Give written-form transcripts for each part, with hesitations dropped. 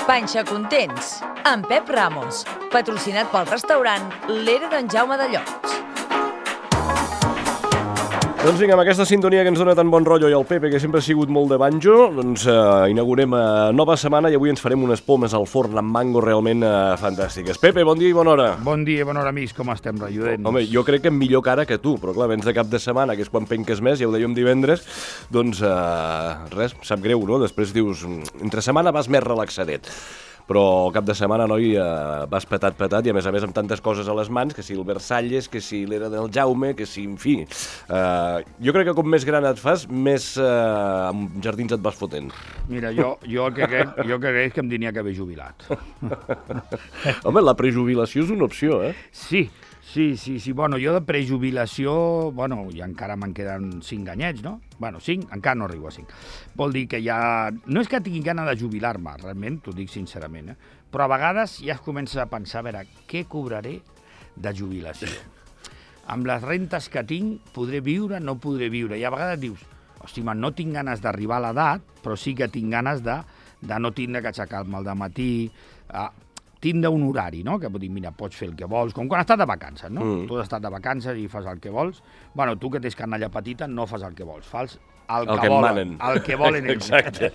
Panxa Contents, amb Pep Ramos, patrocinat pel restaurant L'Era d'en Jaume de Llots. Doncs vinga, amb aquesta sintonia que ens dona tan bon rotllo i el Pepe, que sempre ha sigut molt de banjo, doncs inaugurem nova setmana i avui ens farem unes pomes al forn amb mango realment fantàstiques. Pepe, bon dia i bona hora. Bon dia i bona hora, amics. Com estem, relludents? Home, jo crec que millor que ara que tu, però clar, vens de cap de setmana, que és quan penques més, ja ho dèiem divendres, doncs res, sap greu, no? Després dius, entre setmana vas més relaxadet. Però cap de setmana, noi, vas petat i a més amb tantes coses a les mans, que si el Versalles, que si l'Era del Jaume, que si, en fi. Jo crec que com més gran et fas, més jardins et vas fotent. Mira, jo el que crec és que em tenia que haver jubilat. Home, la prejubilació és una opció, eh? Sí. Bueno, jo de prejubilació, bueno, i encara me'n queden 5 anyets, no? Bueno, 5, encara no arribo a 5. Vol dir que ja... No és que tingui gana de jubilar-me, realment, t'ho dic sincerament, però a vegades ja es comença a pensar, a veure, què cobraré de jubilació? Amb les rentes que tinc, podré viure, no podré viure? I a vegades dius, hosti, man, no tinc ganes d'arribar a l'edat, però sí que tinc ganes de no tindre que aixecar-me al dematí, tindre un horari, no? Que pot dir, mira, pots fer el que vols, com quan estàs de vacances, no? Tu has estat de vacances i fas el que vols. Bueno, tu que tens canalla petita no fas el que vols, fas el que volen. El que volen ells. Exacte.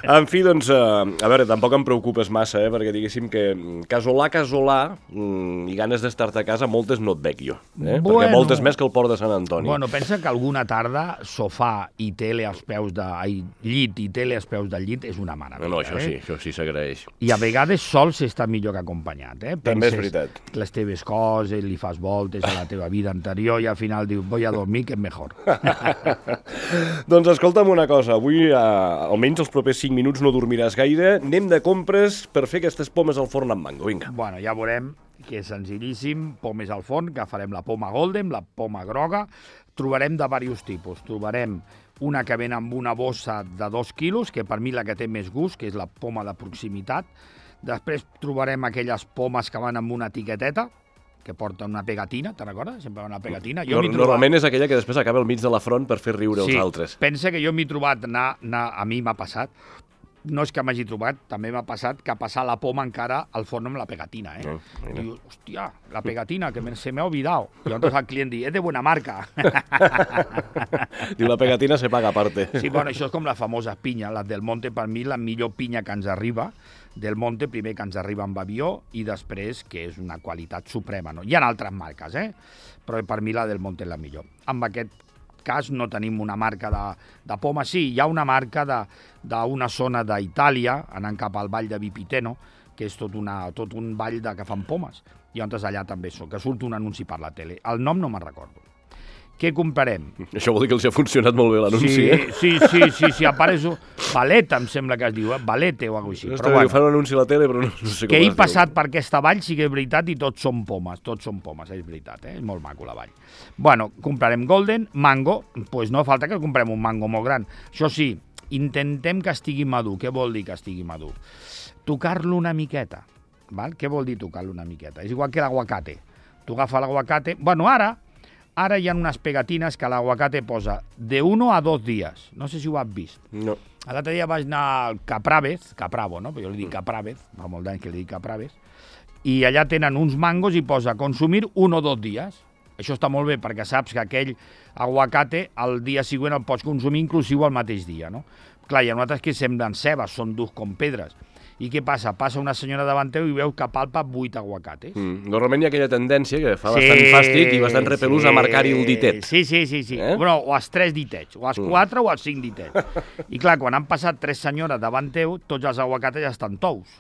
En fi, doncs, a veure, tampoc em preocupes massa, perquè diguéssim que casolà i ganes d'estar-te a casa, moltes no et veig jo. Perquè moltes més que el port de Sant Antoni. Bueno, pensa que alguna tarda sofà i tele als peus llit i tele als peus del llit és una meravella. No, això sí s'agraeix. I a vegades sols està millor que acompanyat. També és veritat. Les teves coses, li fas voltes a la teva vida anterior i al final dius, voy a dormir, que és millor. Doncs escolta'm una cosa, avui almenys els propers 5 minuts no dormiràs gaire, anem de compres per fer aquestes pomes al forn amb mango, vinga. Bueno, ja veurem que és senzillíssim, pomes al forn, que farem la poma golden, la poma groga, trobarem de diversos tipus, trobarem una que ven amb una bossa de 2 quilos, que per mi la que té més gust, que és la poma de proximitat, després trobarem aquelles pomes que van amb una etiqueteta, que porta una pegatina, te'n recordes? Sempre una pegatina. Normalment és aquella que després acaba al mig de la front per fer riure els altres. Sí, pensa que jo m'he trobat, a mi m'ha passat, no és que m'hagi trobat, també m'ha passat que passar la poma encara al forn amb la pegatina, Diu, hòstia, la pegatina, que se me ha olvidado. I llavors el client diu, és de buena marca. Diu, la pegatina se paga aparte. Sí, bueno, això és com la famosa pinya, la del Monte, per mi la millor pinya que ens arriba, del Monte, primer que ens arriba amb avió i després que és una qualitat suprema, no? Hi ha altres marques, però per mi la del Monte és la millor. En aquest cas no tenim una marca de poma, sí, hi ha una marca d'una zona d'Itàlia, anant cap al vall de Vipiteno, que és tot un vall que fan pomes, i llavors allà també que surt un anunci per la tele. El nom no me'n recordo. Què comprarem? Això vol dir que els ha funcionat molt bé l'anunci, Sí, apareix Valeta, em sembla que es diu, Valete o alguna cosa així. Però bueno, fan un anunci a la tele, però no sé com que he passat per aquesta vall sí que és veritat i tots són pomes, és veritat, és molt maco la vall. Bueno, comprarem golden, mango, doncs no falta que comprem un mango molt gran. Això sí, intentem que estigui madur. Què vol dir que estigui madur? Tocar-lo una miqueta, val? Què vol dir tocar-lo una miqueta? És igual que l'aguacate. Tu agafes l'aguacate... Bueno, Ara hi ha unes pegatines que l'aguacate posa de 1 a 2 dies. No sé si ho has vist. No. L'altre dia vaig anar al Capravo, no? Però jo li dic Capraves, fa molt d'anys que li dic Capraves, i allà tenen uns mangos i posa consumir 1 o 2 dies. Això està molt bé perquè saps que aquell aguacate el dia següent el pots consumir inclusiu el mateix dia, no? Clar, hi ha altres que semblen cebes, són durs com pedres. I què passa? Passa una senyora davant teu i veu que palpa 8 aguacates. Normalment hi ha aquella tendència que fa bastant fàstic i bastant repelús a marcar-hi el ditet. Sí. Bueno, o els 3 ditets, o els 4 o els 5 ditets. I clar, quan han passat 3 senyores davant teu, tots els aguacates ja estan tous.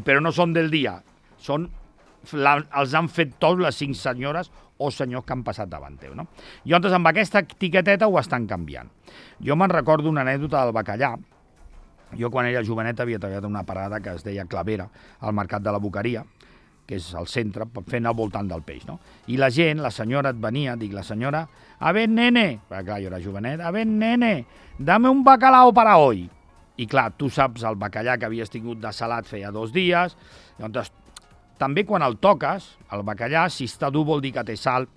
Però no són del dia, els han fet tous les 5 senyores o senyors que han passat davant teu, no? I llavors amb aquesta etiqueteta ho estan canviant. Jo me'n recordo una anècdota del bacallà. Jo, quan era jovenet, havia treballat en una parada que es deia Clavera, al Mercat de la Boqueria, que és al centre, fent al voltant del peix, no? I la gent, la senyora et venia, la senyora, a ver, nene, perquè clar, jo era jovenet, a ver, nene, dame un bacalao para hoy. I clar, tu saps el bacallà que havies tingut de salat feia 2 dies, llavors també quan el toques, el bacallà, si està dur vol dir que té sal.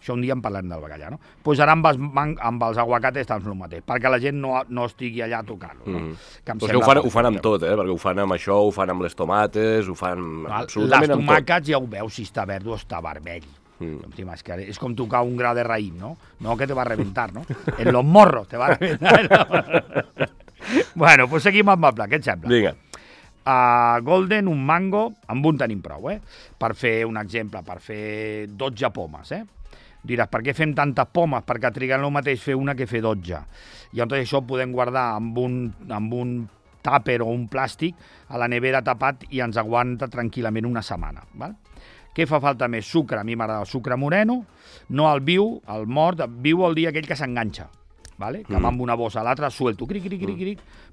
Això un dia en parlem del bacallà, no? Doncs ara amb els aguacates també el mateix, perquè la gent no estigui allà a tocar-lo. No? Però és que ho fan amb tot, perquè ho fan amb això, ho fan amb les tomates, ho fan absolutament amb tot. Les tomàquets ja ho veus si està verd o està vermell. És com tocar un gra de raïm, no? No que te va a reventar, no? En los morros te va a reventar. Bueno, pues seguim amb el plat, què et sembla? Vinga. Golden, un mango, amb un tenim prou, per fer un exemple, per fer 12 pomes, Diràs, per què fem tantes pomes? Perquè triguen el mateix fer una que fer 12. I llavors això ho podem guardar amb un tàper o un plàstic a la nevera tapat i ens aguanta tranquil·lament una setmana, val? Què fa falta més? Sucre, a mi m'agrada el sucre moreno, no el viu, el mort, viu el dia aquell que s'enganxa. Vale? Que va amb una bossa a l'altra, suelto, cric,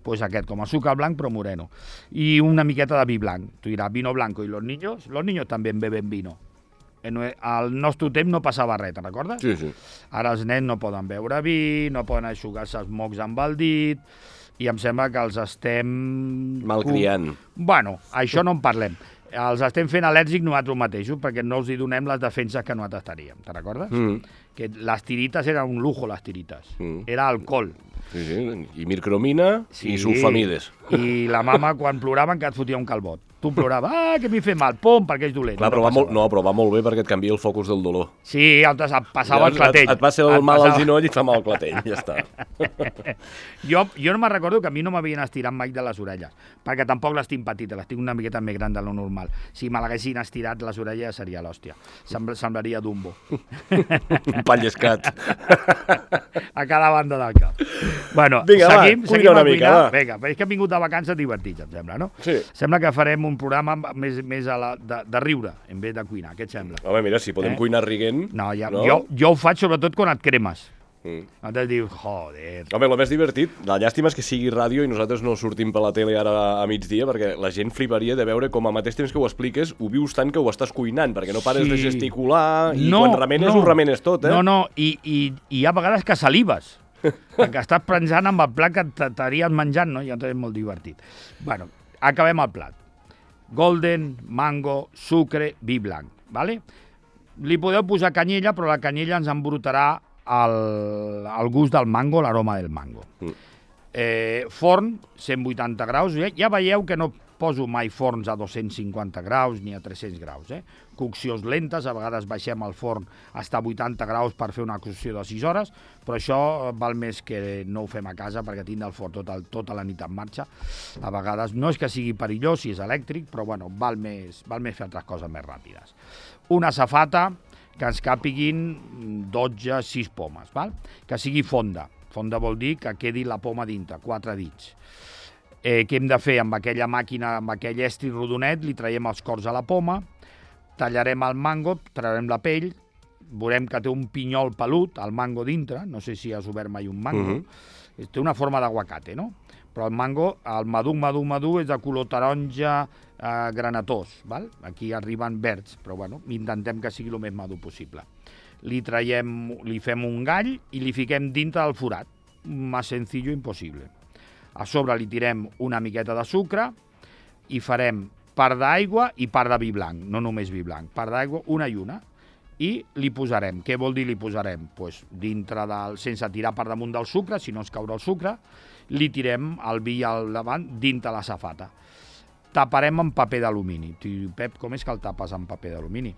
pues aquest, com a sucre blanc però moreno. I una miqueta de vi blanc. Tu diràs, vino blanco, i los niños també beben vino. Al nostre temps no passava res, te'n recordes? Sí. Ara els nens no poden beure vi, no poden aixugar-se els mocs amb el dit, i em sembla que els estem... Malcriant. Bueno, això no en parlem. Els estem fent al·lèrgics nosaltres mateixos perquè no els hi donem les defenses que nosaltres teníem. Te'n recordes? Que les tirites eren un lujo, les tirites. Era alcohol. Sí, i mircromina i sulfamides. I la mama, quan ploraven, que et fotia un calbot. Tu ploraves, que m'hi fa mal, pom, perquè és dolent. Clar, però va molt bé perquè et canvia el focus del dolor. Sí, altres et passava el clatell. Et passa el mal al ginoll i et fa mal el clatell, ja està. Jo no me'n recordo que a mi no m'havien estirat mai de les orelles, perquè tampoc les tinc petites, les tinc una miqueta més gran de lo normal. Si me l'haguessin estirat les orelles seria l'hòstia. Semblaria Dumbo. Un pallescat. A cada banda del cap. Bueno, vinga, seguim una mica, va. Vinga, és que hem vingut de vacances divertits, em sembla, no? Sí. Sembla que farem un programa més de riure, en vez de cuinar. Què et sembla? Home, mira, si podem cuinar riguent... No, jo ho faig sobretot quan et cremes. Nosaltres dius, joder... Home, el més divertit, la llàstima és que sigui ràdio i nosaltres no sortim per la tele ara a migdia, perquè la gent fliparia de veure com al mateix temps que ho expliques ho vius tant que ho estàs cuinant, perquè no pares de gesticular i quan remenes ho remenes tot, No, i hi ha vegades que salives, perquè estàs pensant amb el plat que t'estaries menjant, no? I llavors és molt divertit. Bueno, acabem el plat. Golden, mango, sucre, vi blanc, ¿vale? Li podeu posar canyella, però la canyella ens embrutarà el gust del mango, l'aroma del mango. Forn, 180 graus. Ja veieu que no poso mai forns a 250 graus ni a 300 graus. Coccions lentes, a vegades baixem el forn fins a 80 graus per fer una cocció de 6 hores, però això val més que no ho fem a casa perquè tinc el forn tota la nit en marxa. A vegades no és que sigui perillós si és elèctric, però bueno, val més fer altres coses més ràpides. Una safata que ens càpiguin 6 pomes, val? Que sigui fonda. Fonda vol dir que quedi la poma dintre, 4 dits. Què hem de fer? Amb aquella màquina, amb aquell estri rodonet, li traiem els cors a la poma, tallarem el mango, traurem la pell, veurem que té un pinyol pelut, el mango dintre, no sé si has obert mai un mango, té una forma d'aguacate, no? Però el mango, el madur, és de color taronja granatós, val? Aquí arriben verds, però bueno, intentem que sigui el més madur possible. Li fem un gall i li fiquem dintre del forat, més sencillo impossible. A sobre li tirem una miqueta de sucre i farem part d'aigua i part de vi blanc, no només vi blanc, part d'aigua, una i una, i li posarem. Què vol dir li posarem? Pues dintre sense tirar per damunt del sucre, si no ens caurà el sucre, li tirem el vi al davant dintre la safata. Taparem amb paper d'alumini. Pep, com és que el tapes amb paper d'alumini?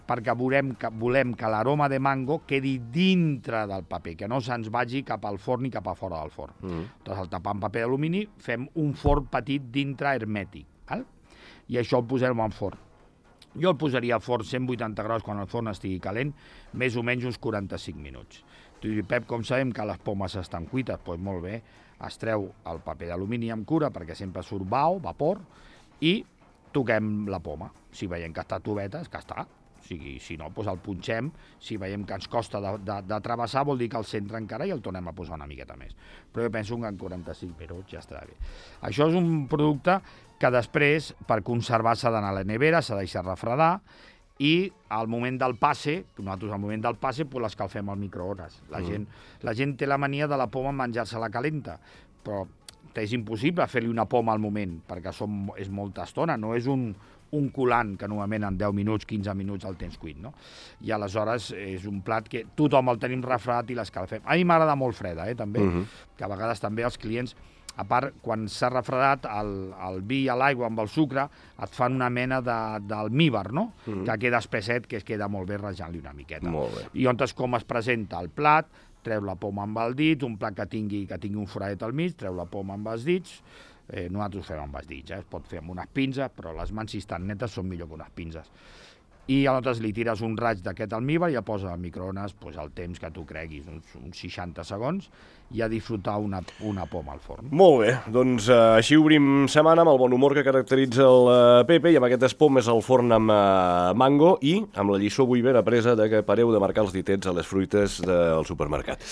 Perquè volem que l'aroma de mango quedi dintre del paper, que no se'ns vagi cap al forn ni cap a fora del forn. Doncs el tapar amb paper d'alumini, fem un forn petit dintre hermètic, val? I això el posem en forn. Jo el posaria a forn 180 graus quan el forn estigui calent, més o menys uns 45 minuts. Tu dius, Pep, com sabem que les pomes estan cuites? Doncs molt bé, es treu el paper d'alumini amb cura perquè sempre surt vapor, i toquem la poma. Si veiem que està toveta, és que està. Si no, doncs el punxem. Si veiem que ens costa de travessar, vol dir que el centre encara i el tornem a posar una miqueta més. Però jo penso que en 45 minuts ja estarà bé. Això és un producte que després, per conservar, s'ha d'anar a la nevera, s'ha de deixar refredar, i al moment del passe, nosaltres al moment del passe pues l'escalfem al microones. La gent té la mania de la poma menjar-se-la calenta, però és impossible fer-li una poma al moment, perquè és molta estona, no és un colant que normalment en 10 minuts, 15 minuts el tens cuit, no? I aleshores és un plat que tothom el tenim refredat i l'escalfem. A mi m'agrada molt freda, també, que a vegades també els clients, a part, quan s'ha refredat el vi a l'aigua amb el sucre, et fan una mena d'almíbar, no? Que queda espesset, que es queda molt bé rajant-li una miqueta. Molt bé. I on com es presenta el plat, treu la poma amb el dit, un plat que tingui un foradet al mig, treu la poma amb els dits, nosaltres ho fem amb els dits, es pot fer amb unes pinces, però les mans, si estan netes, són millor que unes pinces. I aleshores li tires un raig d'aquest almíbar i el poses al microones el temps que tu creguis, uns 60 segons, i a disfrutar una poma al forn. Molt bé, doncs així obrim setmana amb el bon humor que caracteritza el Pepe i amb aquestes pomes al forn amb mango i amb la lliçó avui ben apresa que pareu de marcar els ditets a les fruites del supermercat.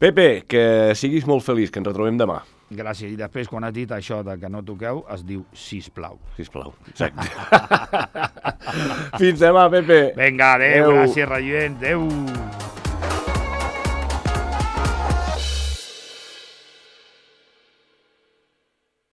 Pepe, que siguis molt feliç, que ens retrobem demà. Gràcies. I després, quan has dit això de que no toqueu, es diu sisplau. Sisplau, exacte. Fins demà, Pepe. Vinga, adéu, gràcies, Rallent, adéu.